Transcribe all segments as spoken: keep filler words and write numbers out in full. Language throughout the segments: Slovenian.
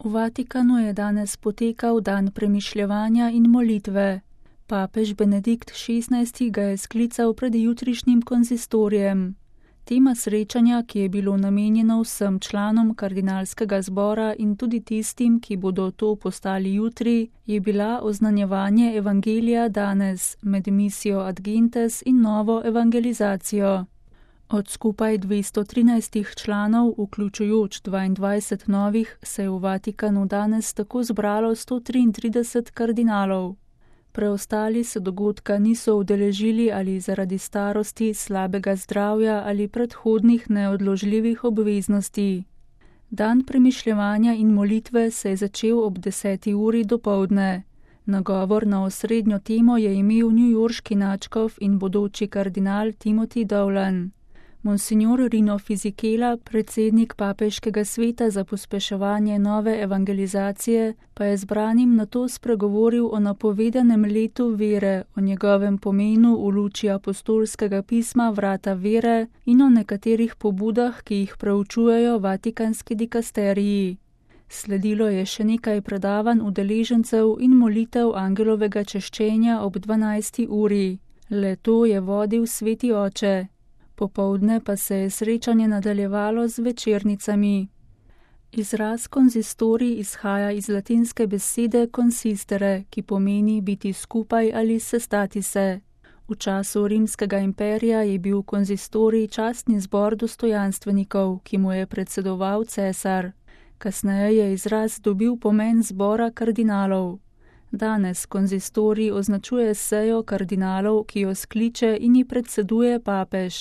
V Vatikanu je danes potekal dan premišljevanja in molitve. Papež Benedikt šestnajsti ga je sklical pred jutrišnjim konzistorijem. Tema srečanja, ki je bilo namenjeno vsem članom kardinalskega zbora in tudi tistim, ki bodo to postali jutri, je bila oznanjevanje evangelija danes med misijo Ad Gentes in novo evangelizacijo. Od skupaj dvesto trinajstih članov, vključujoč dvaindvajset novih, se je v Vatikanu danes tako zbralo sto triintrideset kardinalov. Preostali se dogodka niso udeležili ali zaradi starosti, slabega zdravja ali predhodnih neodložljivih obveznosti. Dan premišljevanja in molitve se je začel ob deseti uri dopoldne. Nagovor na osrednjo temo je imel newyorški nadškof in bodoči kardinal Timothy Dowland. Monsignor Rino Fisichella, predsednik papeškega sveta za pospeševanje nove evangelizacije, pa je zbranim nato spregovoril o napovedanem letu vere, o njegovem pomenu v luči apostolskega pisma Vrata vere in o nekaterih pobudah, ki jih preučujejo vatikanski dikasteriji. Sledilo je še nekaj predavanj udeležencev in molitev angelovega češčenja ob dvanajsti uri. Le to je vodil sveti oče. Popoldne pa se je srečanje nadaljevalo z večernicami. Izraz konzistorij izhaja iz latinske besede consistere, ki pomeni biti skupaj ali sestati se. V času Rimskega imperija je bil konzistorij častni zbor dostojanstvenikov, ki mu je predsedoval cesar. Kasneje je izraz dobil pomen zbora kardinalov. Danes konzistorij označuje sejo kardinalov, ki jo skliče in ji predseduje papež.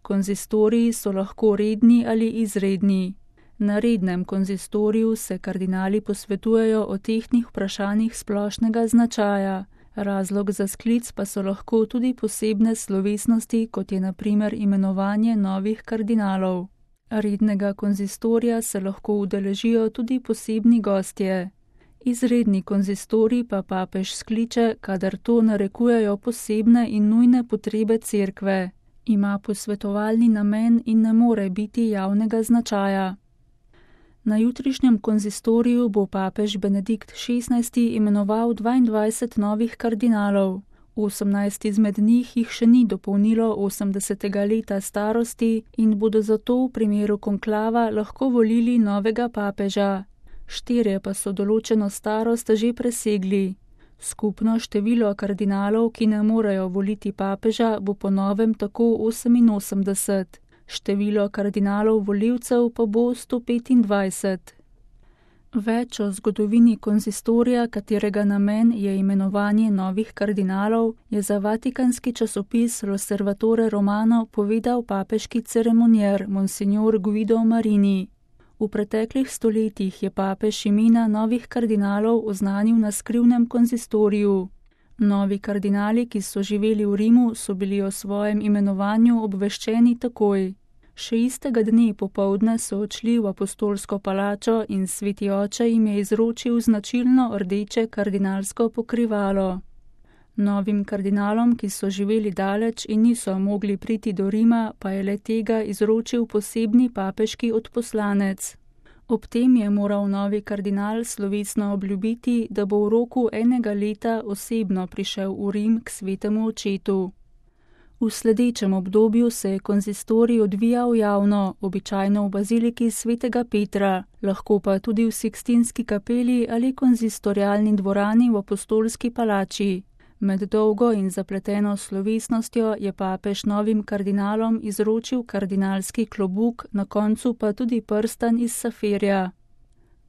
Konzistoriji so lahko redni ali izredni. Na rednem konzistoriju se kardinali posvetujejo o tehtnih vprašanjih splošnega značaja. Razlog za sklic pa so lahko tudi posebne slovesnosti, kot je na primer imenovanje novih kardinalov. Rednega konzistorija se lahko udeležijo tudi posebni gostje. Izredni konzistorij pa papež skliče, kadar to narekujejo posebne in nujne potrebe cerkve. Ima posvetovalni namen in ne more biti javnega značaja. Na jutrišnjem konzistoriju bo papež Benedikt šestnajsti imenoval dvaindvajset novih kardinalov. osemnajst izmed njih jih še ni dopolnilo osemdesetega leta starosti in bodo zato v primeru konklava lahko volili novega papeža. Štirje pa so določeno starost že presegli. Skupno število kardinalov, ki ne morejo voliti papeža, bo po novem tako oseminosemdeset. Število kardinalov volivcev pa bo sto petindvajset. Več o zgodovini konzistorija, katerega namen je imenovanje novih kardinalov, je za vatikanski časopis L'Osservatore Romano povedal papeški ceremonjer Monsignor Guido Marini. V preteklih stoletjih je papež imena novih kardinalov oznanil na skrivnem konzistoriju. Novi kardinali, ki so živeli v Rimu, so bili o svojem imenovanju obveščeni takoj. Še istega dne popoldne so odšli v apostolsko palačo in sveti oče jim je izročil značilno rdeče kardinalsko pokrivalo. Novim kardinalom, ki so živeli daleč in niso mogli priti do Rima, pa je le tega izročil posebni papeški odposlanec. Ob tem je moral novi kardinal slovesno obljubiti, da bo v roku enega leta osebno prišel v Rim k svetemu očetu. V sledečem obdobju se je konzistorij odvijal javno, običajno v baziliki svetega Petra, lahko pa tudi v Sikstinski kapeli ali konzistorialni dvorani v apostolski palači. Med dolgo in zapleteno slovesnostjo je papež novim kardinalom izročil kardinalski klobuk, na koncu pa tudi prstan iz safirja.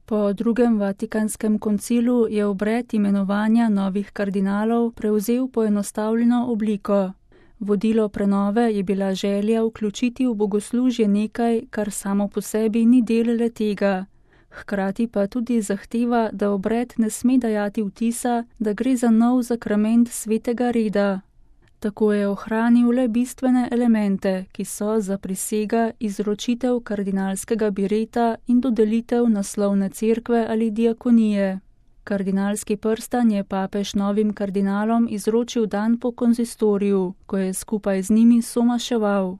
Po drugem Vatikanskem koncilu je obred imenovanja novih kardinalov prevzel poenostavljeno obliko. Vodilo prenove je bila želja vključiti v bogoslužje nekaj, kar samo po sebi ni del le tega. Hkrati pa tudi zahteva, da obred ne sme dajati vtisa, da gre za nov zakrament svetega reda. Tako je ohranil le bistvene elemente, ki so za prisega izročitev kardinalskega bireta in dodelitev naslovne cerkve ali diakonije. Kardinalski prstan je papež novim kardinalom izročil dan po konzistoriju, ko je skupaj z njimi somaševal.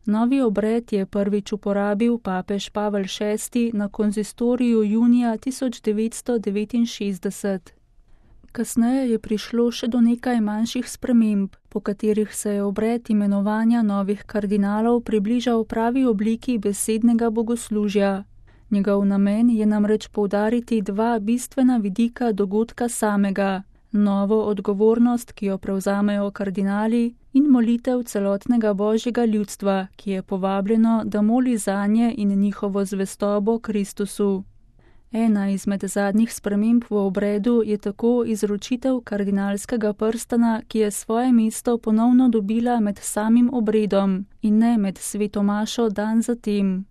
Novi obred je prvič uporabil papež Pavel šesti na konzistoriju junija tisoč devetsto devetinšestdeset. Kasneje je prišlo še do nekaj manjših sprememb, po katerih se je obred imenovanja novih kardinalov približal pravi obliki besednega bogoslužja. Njegov namen je namreč poudariti dva bistvena vidika dogodka samega, novo odgovornost, ki jo prevzamejo kardinali, in molitev celotnega božjega ljudstva, ki je povabljeno, da moli zanje in njihovo zvestobo Kristusu. Ena izmed zadnjih sprememb v obredu je tako izročitev kardinalskega prstana, ki je svoje mesto ponovno dobila med samim obredom in ne med sveto mašo dan zatem.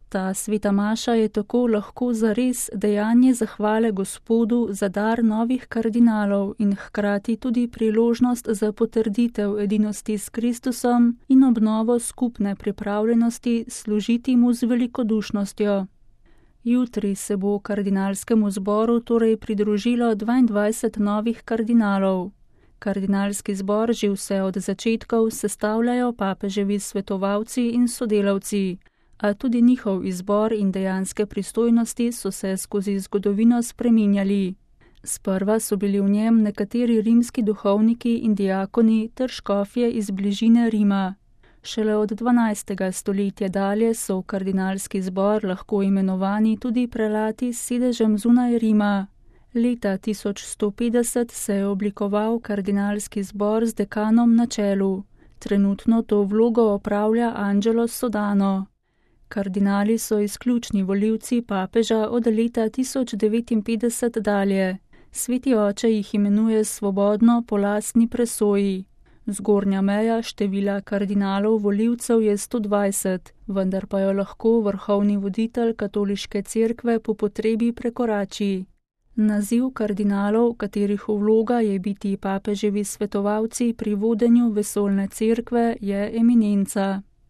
Ta sveta maša je tako lahko zares dejanje zahvale Gospodu za dar novih kardinalov in hkrati tudi priložnost za potrditev edinosti s Kristusom in obnovo skupne pripravljenosti služiti mu z velikodušnostjo. Jutri se bo kardinalskemu zboru torej pridružilo dvaindvajset novih kardinalov. Kardinalski zbor že vse od začetkov sestavljajo papeževi svetovalci in sodelavci, a tudi njihov izbor in dejanske pristojnosti so se skozi zgodovino spreminjali. Sprva so bili v njem nekateri rimski duhovniki in diakoni ter škofje iz bližine Rima. Šele od dvanajstega stoletja dalje so v kardinalski zbor lahko imenovani tudi prelati s sedežem zunaj Rima. Leta tisoč sto petdeset se je oblikoval kardinalski zbor z dekanom na čelu. Trenutno to vlogo opravlja Angelo Sodano. Kardinali so izključni volivci papeža od leta tisoč devetinpetdeset dalje. Sveti oče jih imenuje svobodno po lastni presoji. Zgornja meja števila kardinalov volivcev je sto dvajset, vendar pa jo lahko vrhovni voditelj katoliške cerkve po potrebi prekorači. Naziv kardinalov, katerih vloga je biti papeževi svetovalci pri vodenju vesoljne cerkve, je eminenca.